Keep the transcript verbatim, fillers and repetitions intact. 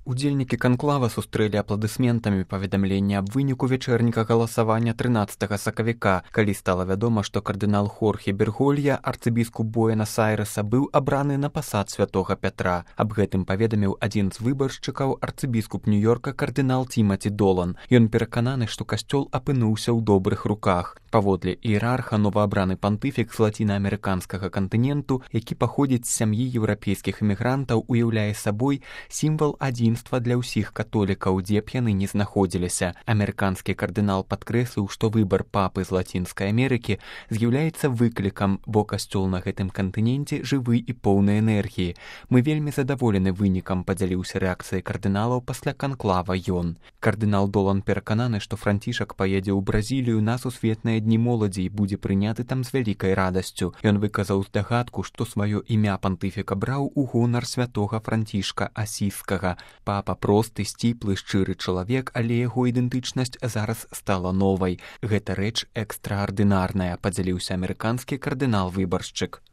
Удзельнікі канклава сустрэлі апладысментамі паведамленне аб выніку вечэрніка галасавання трынаццатага сакавіка, калі стала вядома, што кардынал Хорхе Берголья, арцыбіскуп Буэнас-Айрэса, быў абраны на пасад святога Пятра. Аб гэтым паведаміў адзін з выбаршчыкаў, арцыбіскуп Нью-Йорка кардынал Тимати Долан. Ён перакананы, што касцёл апынуўся ў добрых руках. Паводле іерарха, новаабраны пантыфік з лацінаамерыканскага кантыненту, які паходзіць з сям'і еўрапейскіх эмігрантаў, уяўляе сабой сімвал адзінства для ўсіх католікаў, дзе б яны не знаходзіліся. Амерыканскі кардынал падкрэсліў, што выбар папы з Лацінскай Амерыкі з'яўляецца выклікам, бо касцёл на гэтым кантыненце жывы і поўны энергіі. Мы вельмі задаволены вынікам, падзяліўся рэакцыяй кардыналаў пасля канклава ён. Кардынал Долан перакананы, што Францішак паедзе ў Бразілію на сусветныя дні моладзі і будзе прыняты там з вялікай радасцю. Ён выказаў здагадку, што сваё імя пантыфік абраў у гонар святога Францішка Асійскага. Папа просты, сціплы, шчыры чалавек, але яго ідэнтычнасць зараз стала новай. Гэта рэч экстраардынарная, падзяліўся амерыканскі кардынал-выбаршчык.